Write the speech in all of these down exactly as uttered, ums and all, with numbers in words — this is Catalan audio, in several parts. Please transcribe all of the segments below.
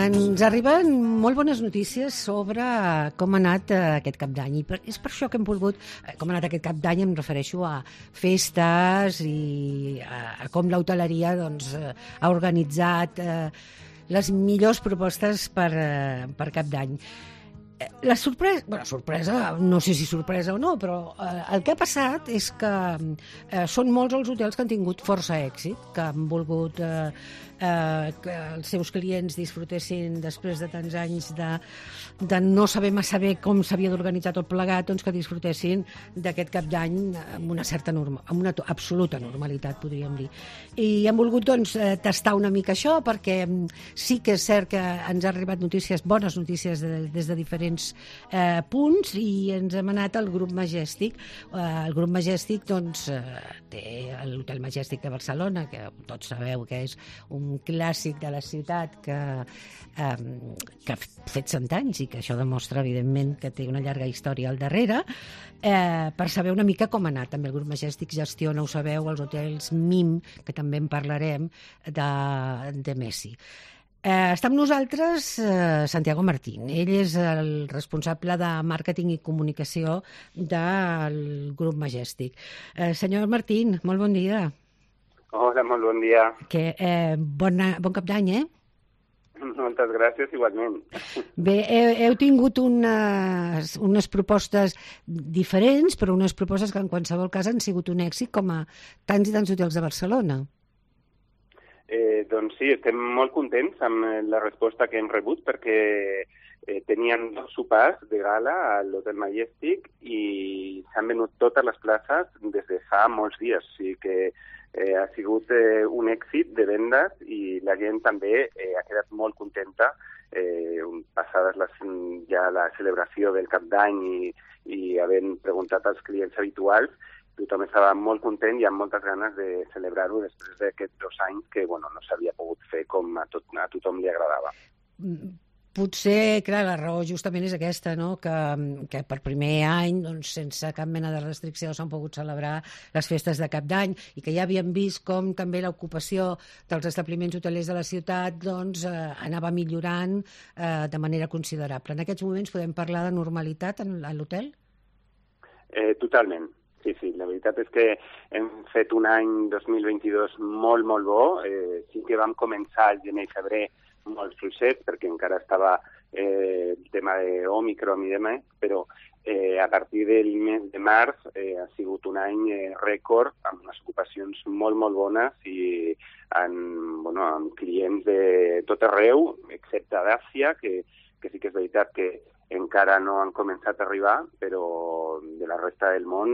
Ens arriben molt bones notícies sobre com ha anat aquest cap d'any i per, és per això que hem volgut, com ha anat aquest cap d'any em refereixo a festes i a, a com l'hoteleria doncs, ha organitzat eh, les millors propostes per, eh, per cap d'any. La sorpresa, bueno, sorpresa, no sé si sorpresa o no, però eh, el que ha passat és que eh, són molts els hotels que han tingut força èxit, que han volgut eh, eh, que els seus clients disfrutessin després de tants anys de, de no saber massa bé com s'havia d'organitzar tot plegat, doncs que disfrutessin d'aquest cap d'any amb una certa norma, amb una absoluta normalitat, podríem dir. I han volgut doncs, tastar una mica això, perquè sí que és cert que ens ha arribat notícies, bones notícies de, des de diferents Eh, punts i ens hem anat al grup Majestic. Eh, el grup Majestic doncs, eh, té l'Hotel Majestic de Barcelona, que tots sabeu que és un clàssic de la ciutat que, eh, que ha fet cent anys i que això demostra evidentment que té una llarga història al darrere, eh, per saber una mica com ha anat. També el grup Majestic gestiona, ho sabeu, els hotels M I M, que també en parlarem, de, de Messi. Eh, està amb nosaltres eh, Santiago Martín. Ell és el responsable de màrqueting i comunicació del grup Majestic. Eh, senyor Martín, molt bon dia. Hola, molt bon dia. Que, eh, bona, bon cap d'any, eh? Moltes gràcies, igualment. Bé, heu, heu tingut unes, unes propostes diferents, però unes propostes que en qualsevol cas han sigut un èxit, com a tants i tants hotels de Barcelona. Eh, doncs sí, estem molt contents amb la resposta que hem rebut perquè eh, tenien dos sopars de gala a l'Hotel Majestic i s'han venut totes les places des de fa molts dies. O sigui que eh, ha sigut eh, un èxit de vendes i la gent també eh, ha quedat molt contenta eh, passades les, ja la celebració del cap d'any i, i havent preguntat als clients habituals. Tothom estava molt content i amb moltes ganes de celebrar-ho després d'aquests dos anys que bueno, no s'havia pogut fer com a, tot, a tothom li agradava. Potser, clar, la raó justament és aquesta, no? que, que per primer any, doncs, sense cap mena de restricció, s'han pogut celebrar les festes de cap d'any i que ja havíem vist com també l'ocupació dels establiments hotelers de la ciutat doncs, eh, anava millorant eh, de manera considerable. En aquests moments podem parlar de normalitat en, a l'hotel? Eh, totalment. Sí, sí, la veritat és que hem fet un any dos mil vint-i-dos molt, molt bo. Eh, sí que vam començar el gener i febrer molt fluixet, perquè encara estava eh, el tema d'Òmicron i demés, però eh, a partir del mes de març eh, ha sigut un any eh, rècord, amb unes ocupacions molt, molt bones i amb, bueno, amb clients de tot arreu, excepte d'Àsia, que, que sí que és veritat que encara no han començat a arribar, però de la resta del món,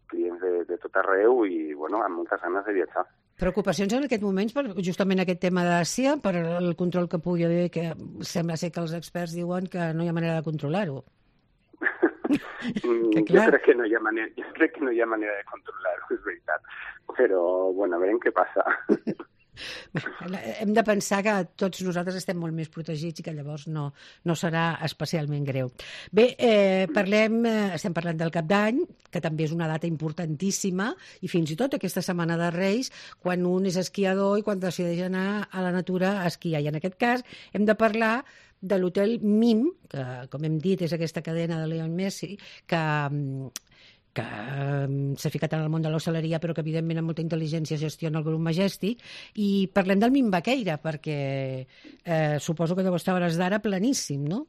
clients de, de tot arreu i bueno, amb moltes ganes de viatjar. Preocupacions en aquest moment per justament aquest tema d'Àsia, per el control que pugui haver, que sembla ser que els experts diuen que no hi ha manera de controlar-ho. jo, crec que no hi ha manera, jo crec que no hi ha manera de controlar-ho, és veritat. Però, bueno, a veure què passa. Hem de pensar que tots nosaltres estem molt més protegits i que llavors no, no serà especialment greu. Bé, eh, parlem, eh, estem parlant del Cap d'Any, que també és una data importantíssima, i fins i tot aquesta setmana de Reis, quan un és esquiador i quan decideix anar a la natura a esquiar. I en aquest cas hem de parlar de l'hotel M I M, que, com hem dit, és aquesta cadena de Lionel Messi, que... que um, s'ha ficat en el món de l'hostaleria però que evidentment amb molta intel·ligència gestiona el grup Majestic, i parlem del M I M Baqueira perquè eh, suposo que deu estar a hores d'ara planíssim, no?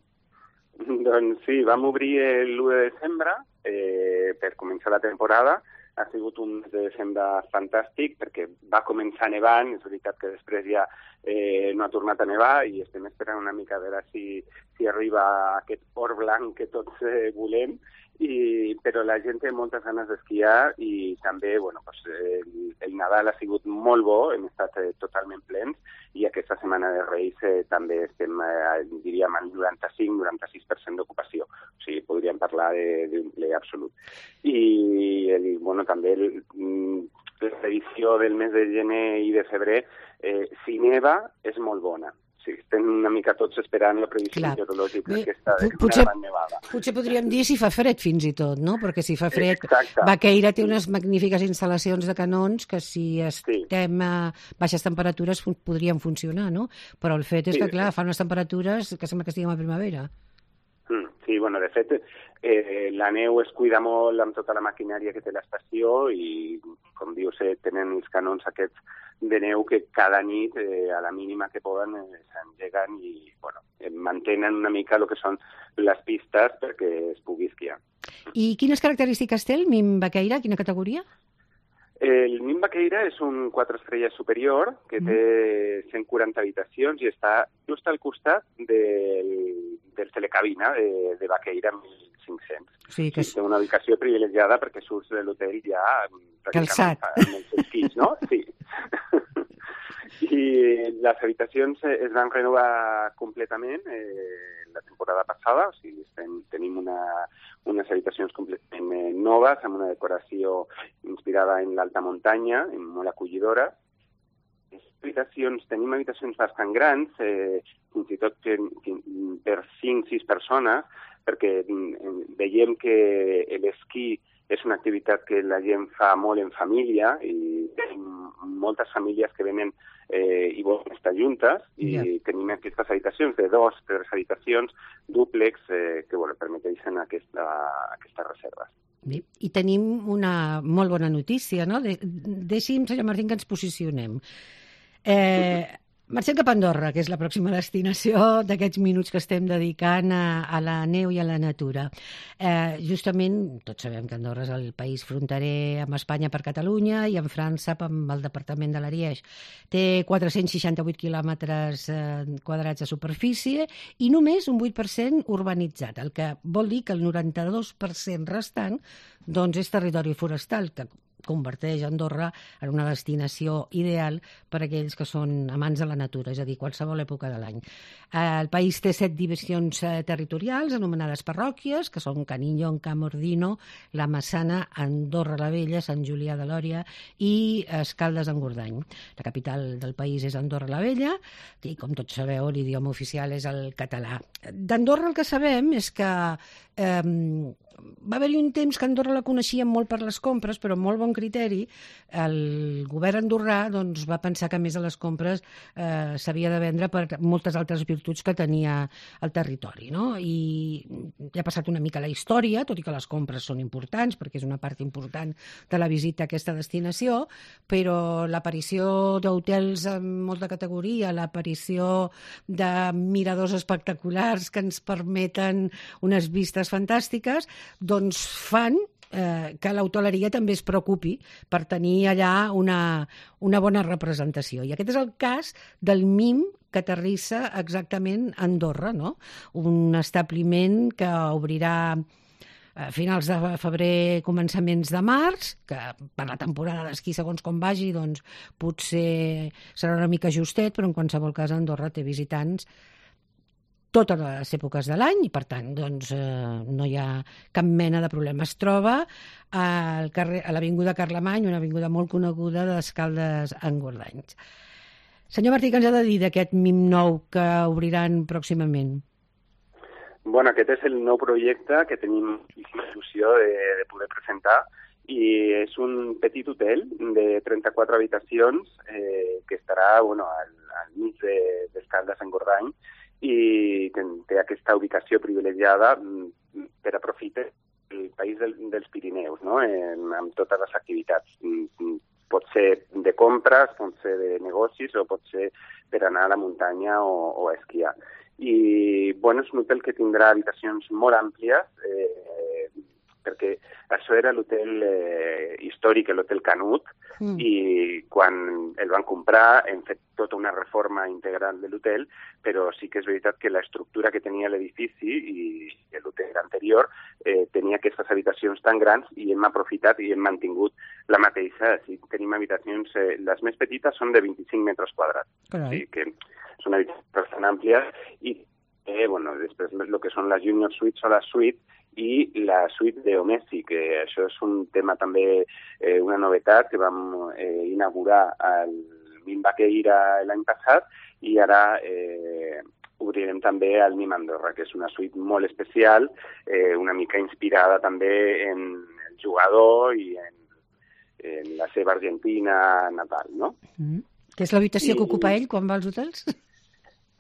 Doncs sí, vam obrir l'u de desembre eh, per començar la temporada. Ha sigut un mes de desembre fantàstic perquè va començar nevant, és veritat que després ja eh, no ha tornat a nevar i estem esperant una mica a veure si, si arriba aquest or blanc que tots eh, volem. I, però la gent té moltes ganes d'esquiar i també bueno, doncs, el, el Nadal ha sigut molt bo, hem estat eh, totalment plens i aquesta setmana de Reis eh, també estem, eh, diríem, al noranta-cinc noranta sis per cent d'ocupació. O sigui, podríem parlar d'un ple absolut. I el, bueno, també el, la previsió del mes de gener i de febrer, eh, si neva, és molt bona. O sí, estem una mica tots esperant la previsió Clar. meteorològica Bé, aquesta de potser, una gran nevada. Potser podríem dir si fa fred fins i tot, no? Perquè si fa fred... Exacte. Baqueira té unes magnífiques instal·lacions de canons que si estem sí. a baixes temperatures podrien funcionar, no? Però el fet és sí, que, clar, sí. fa unes temperatures que sembla que estiguem a primavera. Sí, bueno, de fet, eh, la neu es cuida molt amb tota la maquinària que té l'estació i, com dius, eh, tenen els canons aquests de neu que cada nit, eh, a la mínima que poden, eh, s'engeguen i bueno, eh, mantenen una mica el que són les pistes perquè es pugui esquiar. I quines característiques té el Mim Baqueira? Quina categoria? El Mim Baqueira és un quatre estrelles superior que té cent quaranta habitacions i està just al costat del, del telecabina de, de Baqueira mil cinc-cents. Sí, que és... sí, té una ubicació privilegiada perquè surts de l'hotel ja calçat amb els esquís, no? Sí. I les habitacions es van renovar completament eh, la temporada passada, o sigui, estem, tenim una, unes habitacions completament eh, noves, amb una decoració inspirada en l'alta muntanya, molt acollidora. Habitacions, tenim habitacions bastant grans, eh, fins i tot que, que, per cinc o sis persones, perquè eh, veiem que l'esquí és una activitat que la gent fa molt en família i tenim moltes famílies que venen eh, i volen estar juntes i yeah. tenim aquestes habitacions de dos, tres habitacions, dúplex, eh, que bueno, permeteixen aquesta, aquestes reserves. Bé, i tenim una molt bona notícia, no? De, deixi'm, senyor Martín, que ens posicionem. Eh, marxem cap a Andorra, que és la pròxima destinació d'aquests minuts que estem dedicant a, a la neu i a la natura. Eh, justament, tots sabem que Andorra és el país fronterer amb Espanya per Catalunya i amb França amb el departament de l'Ariège. Té quatre-cents seixanta-vuit quilòmetres eh, quadrats de superfície i només un vuit per cent urbanitzat, el que vol dir que el noranta-dos per cent restant doncs, és territori forestal, que converteix Andorra en una destinació ideal per a aquells que són amants de la natura, és a dir, qualsevol època de l'any. El país té set divisions territorials anomenades parròquies, que són Canillo, Camordino, La Massana, Andorra la Vella, Sant Julià de Lòria i Escaldes-Engordany. La capital del país és Andorra la Vella i, com tots sabeu, l'idioma oficial és el català. D'Andorra el que sabem és que eh, va haver-hi un temps que Andorra la coneixíem molt per les compres, però amb molt bon criteri. El govern andorrà doncs, va pensar que a més de les compres eh, s'havia de vendre per moltes altres virtuts que tenia el territori, no? I ja ha passat una mica la història, tot i que les compres són importants, perquè és una part important de la visita a aquesta destinació, però l'aparició d'hotels amb molta categoria, l'aparició de miradors espectaculars que ens permeten unes vistes fantàstiques, doncs fan eh, que l'hoteleria també es preocupi per tenir allà una, una bona representació. I aquest és el cas del Mim que aterrissa exactament a Andorra, no? Un establiment que obrirà a finals de febrer, començaments de març, que per la temporada d'esquí, segons com vagi, doncs potser serà una mica justet, però en qualsevol cas Andorra té visitants totes les èpoques de l'any i, per tant, doncs, eh, no hi ha cap mena de problema. Es troba al carrer, a l'avinguda Carlemany, una avinguda molt coneguda d'Escaldes-Engordany. Senyor Martí, què ens ha de dir d'aquest Mim nou que obriran pròximament? Bueno, aquest és el nou projecte que tenim moltíssima il·lusió de, de poder presentar i és un petit hotel de trenta-quatre habitacions eh, que estarà bueno, al, al mig d'Escaldes-Engordany i té aquesta ubicació privilegiada per aprofitar el país del, dels Pirineus, no? En, amb totes les activitats. Pot ser de compres, pot ser de negocis o pot ser per anar a la muntanya o, o a esquiar. I bueno, és un hotel que tindrà habitacions molt àmplies, eh, perquè això era l'hotel eh, històric, l'hotel Canut, mm. i quan el van comprar hem fet tota una reforma integral de l'hotel, però sí que és veritat que l'estructura que tenia l'edifici i l'hotel anterior eh, tenia aquestes habitacions tan grans i hem aprofitat i hem mantingut la mateixa. Així, tenim habitacions, eh, les més petites són de vint-i-cinc metres quadrats, o sigui que són habitacions bastant àmplies i eh, bueno, després el que són les junior suites o la suite i la suite d'Omesi, que això és un tema també, eh, una novetat que vam eh, inaugurar al Mim Baqueira l'any passat i ara eh, obrirem també el Mim Andorra, que és una suite molt especial, eh, una mica inspirada també en el jugador i en, en la seva Argentina natal, no? Mm. Què és l'habitació I... que ocupa ell quan va als hotels?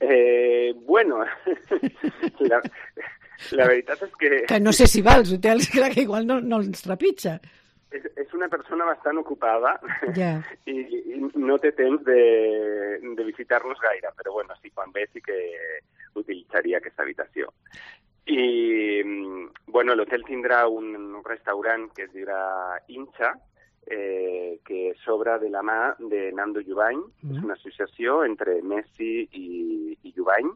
Eh, bueno, la, la veritat és que... Que no sé si va als hotels, que igual no, no els trepitja. És, és una persona bastant ocupada yeah. i, i no té temps de, de visitar-los gaire, però bueno, sí, quan ve sí que utilitzaria aquesta habitació. I, bueno, l'hotel tindrà un restaurant que es dirà Hincha, eh, que s'obre de la mà de Nando Jubany, mm. és una associació entre Messi i, i Jubany,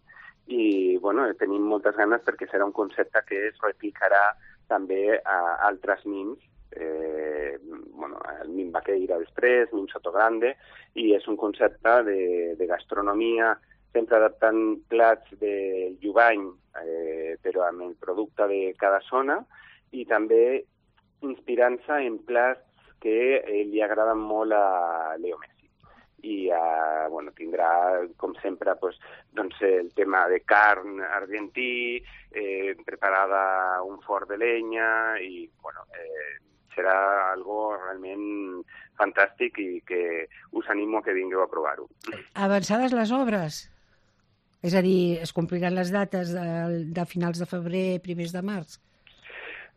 i bueno, tenim moltes ganes perquè serà un concepte que es replicarà també a altres mims, eh, bueno, el Mim Baqueira després, Mim Sotogrande, i és un concepte de, de gastronomia, sempre adaptant plats del Jubany, eh, però amb el producte de cada zona, i també inspirant-se en plats que eh, li agraden molt a Leo Messi. I eh, bueno, tindrà, com sempre, pues, doncs, el tema de carn argentí, eh, preparada un forn de leña, i bueno, eh, serà algo realment fantàstic i que us animo a que vingueu a provar-ho. Avançades les obres? És a dir, es compliran les dates de, de finals de febrer, primers de març?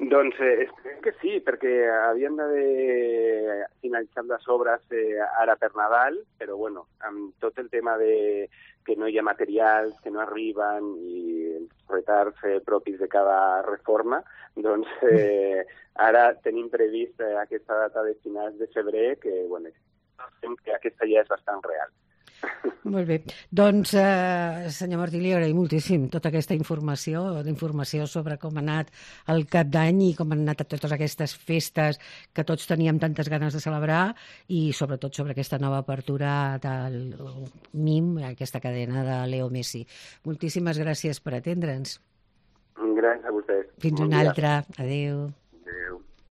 Doncs eh, esperem que sí, perquè havien d'haver finalitzat les obres eh, ara per Nadal, però bueno, amb tot el tema de que no hi ha materials, que no arriben i els retards eh, propis de cada reforma, doncs eh, ara tenim previst eh, aquesta data de finals de febrer, que bueno, que aquesta ja és bastant real. Molt bé. Doncs, eh, senyor Martí, li agraïm moltíssim tota aquesta informació, informació sobre com ha anat el Cap d'Any i com han anat totes aquestes festes que tots teníem tantes ganes de celebrar i sobretot sobre aquesta nova apertura del Mim, aquesta cadena de Leo Messi. Moltíssimes gràcies per atendre'ns. Gràcies a vostès. Fins una altra. Adéu.